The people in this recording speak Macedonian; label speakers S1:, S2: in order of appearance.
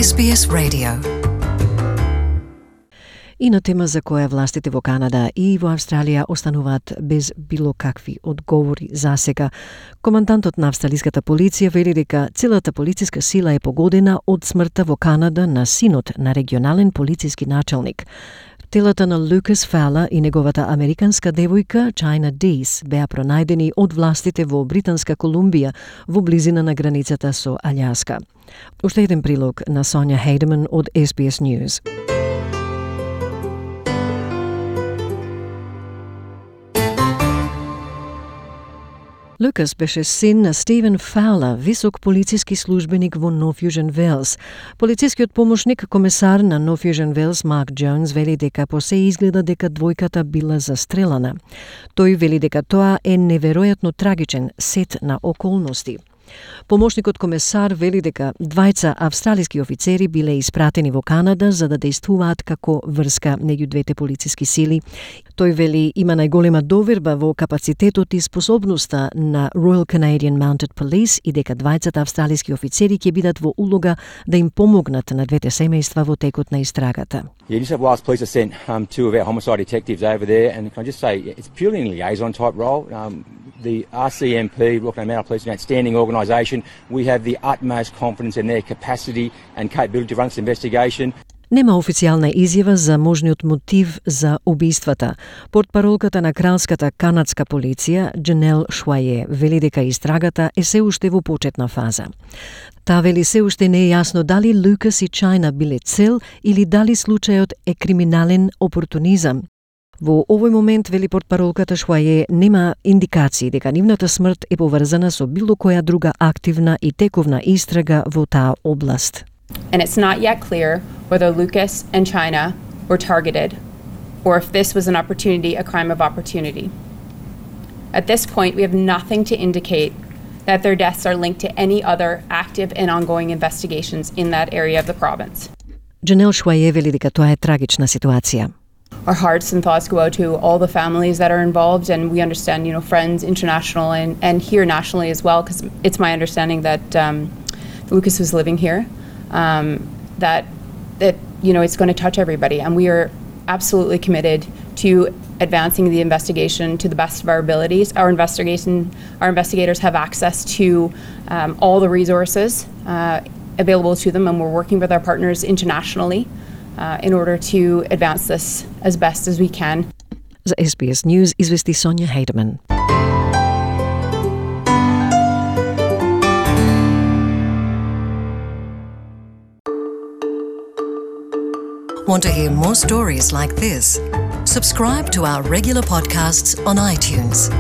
S1: SBS Radio. И на тема за која властите во Канада и во Австралија остануваат без било какви одговори за сега. Командантот на австралиската полиција вели дека целата полициска сила е погодена од смртта во Канада на синот на регионален полициски началник. Телата на Лукас Фала и неговата американска девојка Чајна Дейс беа пронајдени од властите во Британска Колумбија во близина на границата со Алјаска. Уште еден прилог на Сонја Хейдеман од SBS News. Лукас беше син на Стивен Фаула, висок полициски службеник во Нов Јужен Велс. Полицискиот помошник комесар на Нов Јужен Велс Марк Джонс вели дека по се изгледа дека двојката била застрелана. Тој вели дека тоа е неверојатно трагичен сет на околности. Помошникот комесар вели дека двајца австралиски офицери биле испратени во Канада за да дејствуваат како врска меѓу двете полициски сили. Тој вели има најголема доверба во капацитетот и способноста на Royal Canadian Mounted Police и дека двајцата австралиски офицери ќе бидат во улога да им помогнат на двете семејства во текот на истрагата.
S2: Yeah, New South Wales Police have sent two of our homicide detectives over there, and can I just say it's purely a liaison type role. The RCMP, Royal Canadian Mounted Police, is an outstanding organisation. We have the utmost confidence in their capacity and capability to run this investigation.
S1: Нема официјална изјава за можниот мотив за убиствата. Портпаролката на кралската канадска полиција, Джанел Шуае, вели дека истрагата е се уште во почетна фаза. Таа вели се уште не е јасно дали Лукас и Чајна биле цел или дали случајот е криминален опортунизам. Во овој момент, вели портпаролката Шуае, нема индикации дека нивната смрт е поврзана со било која друга активна и тековна истрага во таа област.
S3: And it's not yet clear whether Lucas and China were targeted or if this was an opportunity, a crime of opportunity. At this point, we have nothing to indicate that their deaths are linked to any other active and ongoing investigations in that area of the province.
S1: Джанел Шуае вели дека тоа е трагична ситуација.
S3: Our hearts and thoughts go out to all the families that are involved, and we understand, Friends International and here nationally as well, because it's my understanding that Lucas was living here. That it's going to touch everybody, and we are absolutely committed to advancing the investigation to the best of our abilities. Our investigators have access to all the resources available to them, and we're working with our partners internationally in order to advance this as best as we can.
S1: За SBS News извести Сонја Хейдеман.
S4: Want to hear more stories like this? Subscribe to our regular podcasts on iTunes.